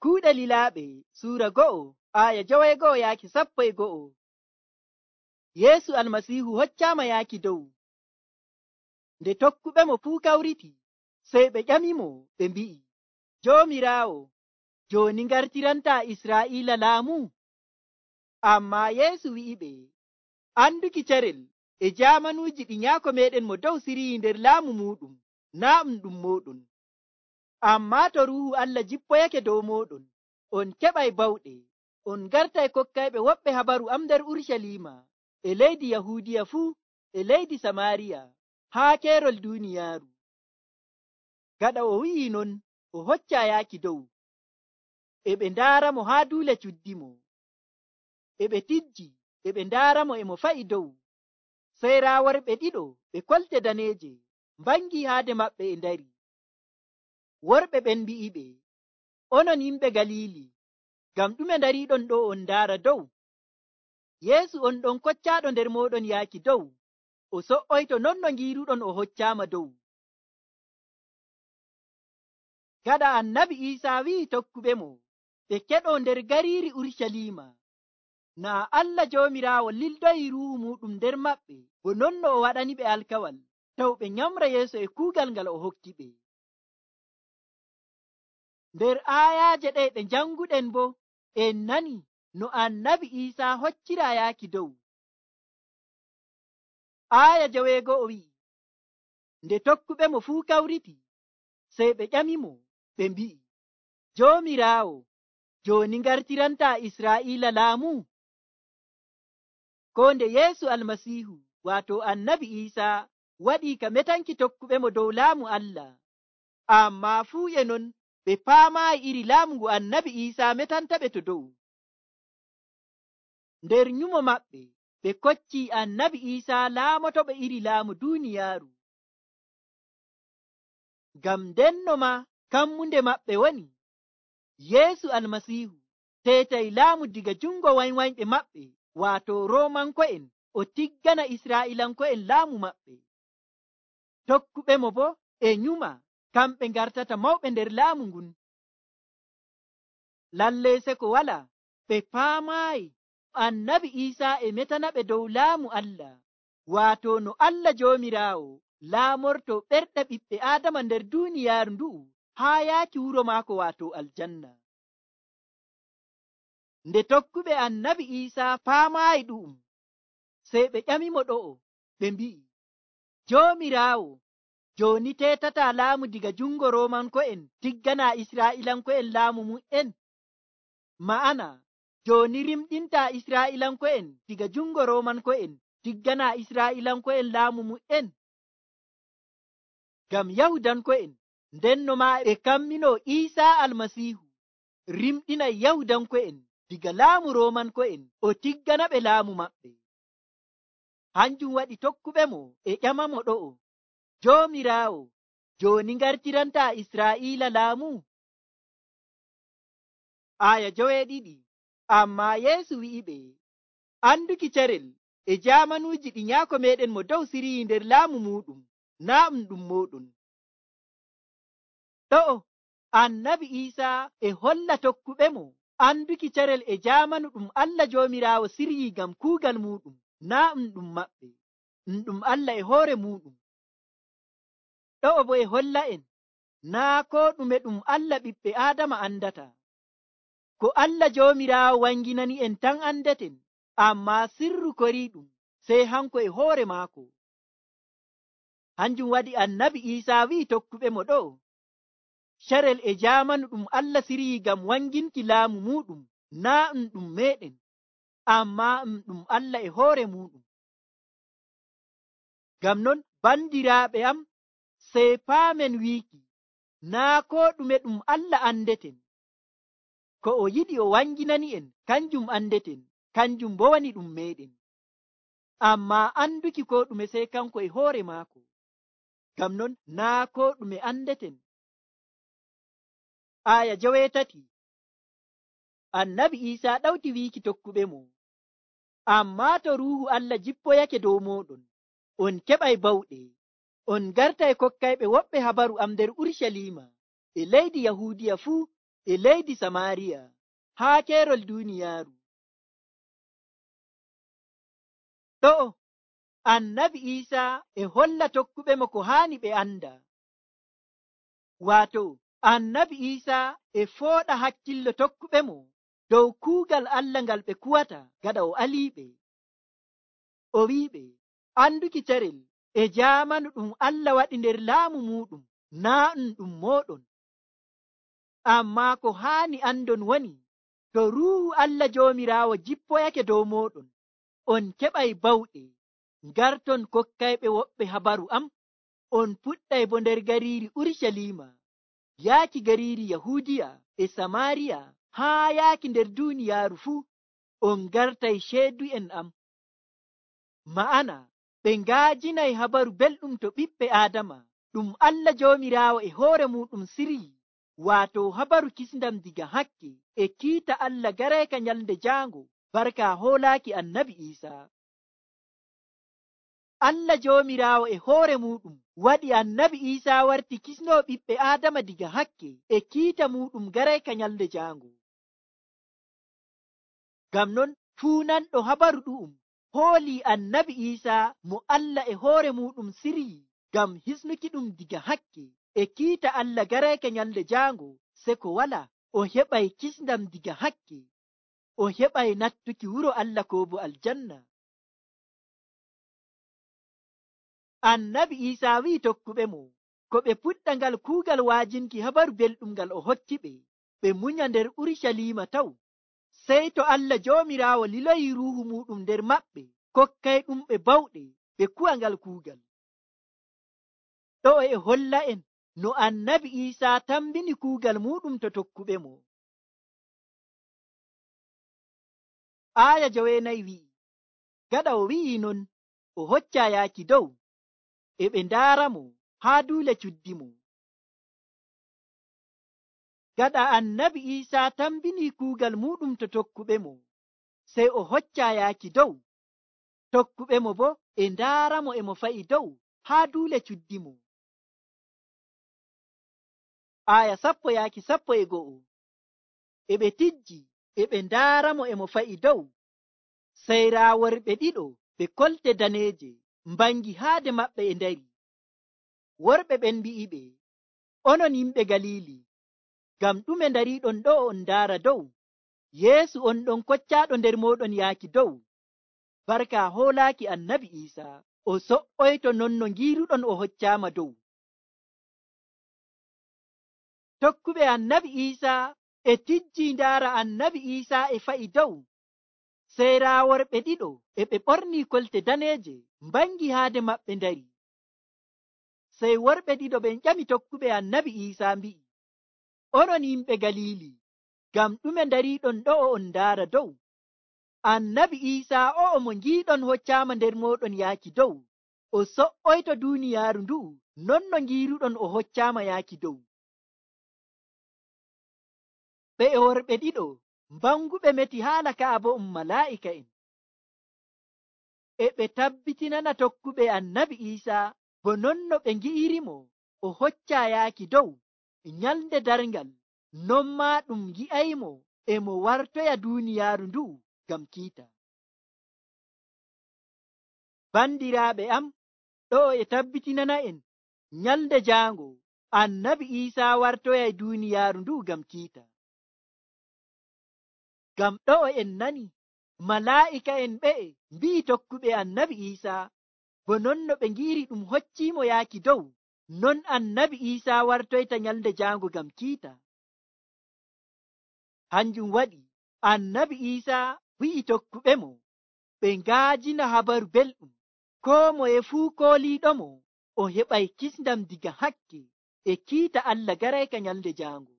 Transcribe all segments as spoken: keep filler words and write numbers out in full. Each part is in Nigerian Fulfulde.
Kuuɗe Lilaaɓe suura go'o aya joweego'o yaaki sappo e go'o. Yeesu Almasiihu hoccaama yaaki dow. Nde tokkuɓe mo fuu kawriti, sey ɓe ƴamimo ɓe mbi'i, Joomiraawo, jooni ngartirantaa Israa'iila laamu? Ammaa Yeesu wi'iɓe, anduki carel e jaamanuuji ɗi nyaako meeɗen mo dow siriyi nder laamu muuɗum, naa ɗum ɗum mooɗon. Ammaa to Ruuhu Allah jippoyake dow mooɗon, on keɓay bawɗe, on ngartay kokkayɓe woɓɓe habaru am nder Urucaliima, e leydi Yahuudiya fuu, e leydi Samaariya, haa keerol duuniyaaru. Gaɗa o wi'i non, o hoccaa yaaki dow. E ɓe ndaaramo haa duule cuddimo. E ɓe tijji, e ɓe ndaaramo e mo fa'i dow. Sey raa worɓe ɗiɗo ɓe kolte daneeje mbangii haade maɓɓe e ndari. Worɓe ɓen mbi'iɓe, onon yimɓe Galiili, ngam ɗume ndariiɗon ɗo on ndaara dow? Yeesu on ɗon koccaaɗo nder mooɗon yaaki dow, o so''oyto non no ngiiruɗon o hoccaama dow. Gaɗa Annabi Iisaa wi'i tokkuɓe mo ɓe keɗoo nder gariiri Urucaliima, naa Allah Joomiraawo lildoyi Ruuhu muuɗum nder maɓɓe, bo non no o waɗaniɓe alkawal, taw ɓe nyamra yeeso e kuugal ngal o hokkiɓe. Nder aayaaje ɗe ɗe njanguɗen bo, en nani no Annabi Iisaa hoccira yaaki dow. Aaya joweego'o wi'i, nde tokkuɓe mo fuu kawriti, sey ɓe ƴamimo ɓe mbi'i, Joomiraawo, jooni ngartirantaa Israa'iila laamu? Ko nde Yeesu Almasiihu, waato Annabi Iisaa, waɗii ka metanki tokkuɓe mo dow laamu Allah, ammaa fuu e non ɓe paamaayi iri laamu ngu Annabi Iisaa metantaɓe to dow. Nder nyumo maɓɓe, ɓe koccii Annabi Iisaa laamotoɓe iri laamu duuniyaaru. Ngam ndenno maa kammunde maɓɓe woni, Yeesu Almasiihu teetay laamu diga jungo wanywanyɓe maɓɓe, waato Roomanko'en, o tiggana Israa'iilanko'en laamu maɓɓe. Tokkuɓe mo bo e nyuma, kamɓe ngartata mawɓe nder laamu ngun. Lallee seko wala, ɓe paamaayi Annabi Iisaa e metanaɓe dow laamu Allah, waato no Allah Joomiraawo laamorto ɓerɗe ɓiɓɓe Aadama nder duuniyaaru ndu'u haa yaaki wuro maako waato aljanna. Nde tokkuɓe Annabi Iisaa paamaayi ɗu'um, sey ɓe ƴamimo ɗo'o, ɓe mbi'i, Joomiraawo, jooni teetataa laamu diga jungo Roomanko'en tigganaa Israa'iilanko'en laamu mu'en? Ma'ana, jooni rimɗintaa Israa'iilanko'en diga jungo Roomanko'en tigganaa Israa'iilanko'en laamu mu'en? Ngam Yahudanko'en ndenno maa ɓe kamminoo Iisaa Almasiihu rimɗinay Yahudanko'en diga laamu Roomanko'en o tiggana ɓe laamu maɓɓe. Hanjum waɗi tokkuɓe mo e ƴamamo ɗo'o, Joomiraawo, jooni ngartirantaa Israa'iila laamu? Aya joweeɗiɗi. Ammaa Yeesu wi'iɓe, anduki carel e jaamanuuji ɗi nyaako meeɗen mo dow siriyi nder laamu muuɗum, naa ɗum ɗum mooɗon. Ɗo'o Annabi Iisaa e holla tokkuɓe mo anduki carel e jaamanu ɗum Allah Joomiraawo siryi ngam kuugal muuɗum, naa ɗum ɗum maɓɓe, ɗum ɗum Allah e hoore muuɗum. Ɗo'o bo e holla en naa koo ɗume ɗum Allah ɓiɓɓe Aadama andata. Ko Allah Joomiraawo wanginani en tan andeten, ammaa sirru koriiɗum sey hanko e hoore maako. Hanjum waɗi Annabi Iisaa wi'i tokkuɓe mo ɗo'o, carel e jaamanu ɗum Allah siryi ngam wanginki laamu muuɗum, naa ɗum ɗum meeɗen, ammaa ɗum ɗum Allah e hoore muuɗum. Ngam non bandiraaɓe am, sey paamen wiiki naa koo ɗume ɗum Allah andeten. Ko o yiɗi o wanginani en kanjum andeten, kanjum bo woni ɗum meeɗen. Ammaa anduki ko ɗume sey kanko e hoore maako. Ngam non naa ko ɗume andeten. Aya joweetati. Annabi Iisaa ɗawti wiiki tokkuɓe mo, ammaa to Ruuhu Allah jippoyake dow mooɗon, on keɓay bawɗe, on ngartay kokkayɓe woɓɓe habaru am nder Urucaliima, e leydi Yahuudiya fuu, e leydi Samariya haa keerol duuniyaaru. Ɗo'o annabi Iisaa e holla tokkuɓe mo ko haani ɓe anda. Waato annabi Iisaa e fooɗa hakkillo tokkuɓe mo dow kuugal Allah ngal ɓe kuwata gaɗa o aliiɓe. O wi'iɓe anduki carel e jaamanu ɗum Allah waɗi nder laamu muɗum naa ɗum ɗum mooɗon. Ammaa ko haani andon woni to Ruuhu Allah Joomiraawo jippoyake dow mooɗon, on keɓay bawɗe, ngarton kokkayɓe woɓɓe habaru am. On puɗɗay bo nder gariiri Urucaliima, yaaki gariiri Yahuudiya e Samaariya haa yaaki nder duuniyaaru fuu. On ngartay ceedu'en am. Ma'ana ɓe ngaajinay habaru belɗum to ɓiɓɓe Aadama ɗum Allah Joomiraawo e hoore muɗum siryi, waato habaru kisndam diga hakke e kiita Allah gareeka nyalnde jaango barka hoolaaki annabi Iisaa. Allah Joomiraawo e hoore muɗum waɗi annabi Iisaa warti kisnoo ɓiɓɓe Aadama diga hakke e kiita muɗum gareeka nyalnde jaango. Ngam non fuunanɗo habaru ɗu'um hoolii annabi Iisaa mo Allah e hoore muɗum siryi ngam hisnuki ɗum diga hakke e kiita Allah gareeka nyalnde jaango, se ko wala o heɓay kisndam diga hakke, o heɓay nattuki wuro Allah ko bo aljanna. Annabi Iisaa wi'i tokkuɓe mo ko ɓe puɗɗa ngal kuugal waajinki habaru belɗum ngal o hokkiɓe, ɓe munya nder Urucaliima taw, sey to Allah Joomiraawo liloyi Ruuhu muɗum nder maɓɓe, kokkay ɗumɓe bawɗe ɓe kuwa ngal kuugal. Ɗo e holla en no annabi Iisaa tambini kuugal muɗum to tokkuɓe mo. Aaya joweenayi wi'i, gaɗa o wi'i non, o hocca yaaki dow, e ɓe ndaara mo haa duule cuddi mo. Gaɗa annabi Iisaa tambini kuugal muɗum to tokkuɓe mo, sey o hocca yaaki dow, tokkuɓe mo bo e ndaara mo e mo fa'i dow haa duule cuddi mo. Aya sappo yaaki sappo e go'o, e ɓe tijji e ɓe ndaara mo e mo fa'i dow, sey raa worɓe ɗiɗo ɓe kolte daneeje mbangi haade maɓɓe e ndari. Worɓe ɓen mbi'iɓe, onon yimɓe Galiili, ngam ɗume ndariiɗon ɗo on ndaara dow? Yeesu on ɗon koccaaɗo nder mooɗon yaaki dow, barka hoolaaki annabi Iisaa, o so''oyto non no ngiiruɗon o hoccaama dow. Tokkuɓe annabi Iisaa e tijji ndaara annabi Iisaa e fa'i dow, sey raa worɓe ɗiɗo e ɓe ɓornii kolte daneeje mbangi haade maɓɓe ndari. Sey worɓe ɗiɗo ɓen ƴami tokkuɓe annabi Iisaa mbi'i, onon yimɓe Galiili, ngam ɗume ndariiɗon ɗo on ndaara dow? Annabi Iisaa o'o mo ngiiɗon hoccaama nder mooɗon yaaki dow, o so''oyto duuniyaaru ndu'u non no ngiiruɗon o hoccaama yaaki dow. Ɓe e worɓe ɗiɗo mbanguɓe meti haala ka'a bo um malaa'ika'en. E ɓe tabbitinana tokkuɓe annabi Iisaa bo non no ɓe ngi'irimo o hocca yaaki dow nyalnde darngal, non maa ɗum ngi'aymo e mo wartoya duuniyaaru ndu'u ngam kiita. Bandiraaɓe am, ɗo e tabbitinana en nyalnde jaango annabi Iisaa wartoya duuniyaaru ndu'u ngam kiita. Ngam ɗo en nani malaa'ika'en ɓe'e mbi'i tokkuɓe annabi Iisaa bo non no ɓe ngi'iri ɗum hocciimo yaaki dow, non annabi Iisaa wartoyta nyalnde jaango ngam kiita. Hanjum waɗi annabi Iisaa wi'i tokkuɓe mo ɓe ngaajina habaru belɗum, koo moye fuu kooliiɗomo o heɓay kisndam diga hakke e kiita Allah gareeka nyalnde jaango.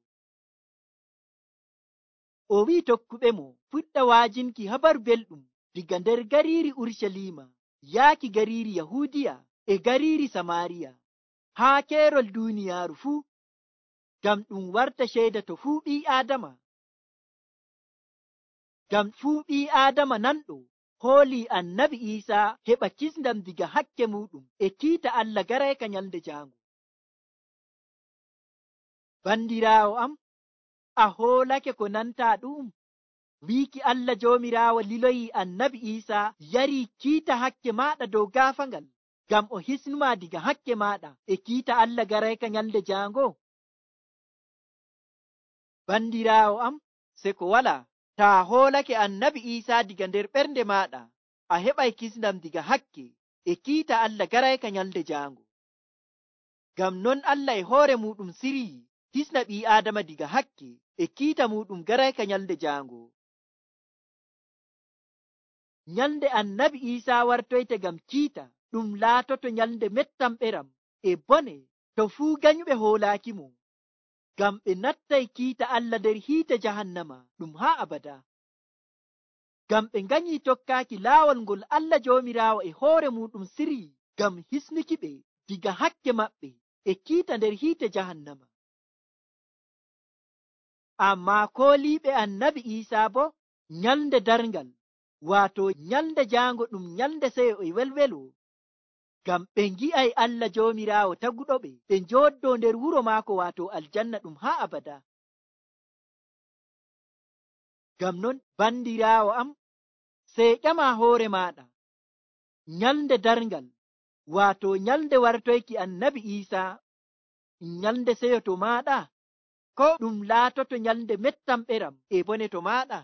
O wi'i tokkuɓe mo fuɗɗa waajinki habaru belɗum diga nder gariiri Urucaliima yaaki gariiri Yahuudiya e gariiri Samaariya haa keerol duuniyaaru fuu, ngam ɗum warta ceeda to fuu ɓii Aadama. Ngam fuu ɓii Aadama nanɗo hoolii annabi Iisaa heɓa kisndam diga hakke muɗum e kiita Allah gareeka nyalnde jaango. Bandiraawo am, a hoolake ko nanta ɗum? wiiki Allah joomiraawo liloyi annabi Iisaa yarii kiita hakke maaɗa dow gaafangal ngam o hisnuma diga hakke maaɗa e kiita Allah garayka nyalde jaango. Bandiraawo am, se ko wala taa hoolake annabi Iisaa diga nder ɓernde maaɗa, a heɓay kisndam diga hakke e kiita Allah garayka nyalde jaango. Ngam non Allah e hoore muɗum sirii hisna ɓii Aadama diga hakke e kiita muɗum garayka nyalde jaango. Nyalde annabi Iisaa wartoyte ngam kiita ɗum laatoto nyalde mettam ɓeram e bone to fuu ganyuɓe hoolaakimo, ngam ɓe nattay kiita Allah nder hiite jahannama ɗum haa abada. Ngam ɓe nganyii tokkaaki laawol ngol Allah joomiraawo e hoore muɗum sirii ngam hisnuki ɓe diga hakke maɓɓe e kiita nder hiite jahannama. Ammaa kooliiɓe annabi Iisaa bo nyalde darngal, waato nyalde jaango ɗum nyalde seyo e welwelo, ngam ɓe ngi'ay Allah joomiraawo taguɗoɓe ɓe njooddoo nder wuro maako waato aljanna ɗum haa abada. Ngam non bandiraawo am, sey ƴama hoore maaɗa, nyalde darngal waato nyalde wartoyki annabi Iisaa nyalde seyo to maaɗa, ko ɗum laatoto nyalde mettam ɓeram e bone to maaɗa?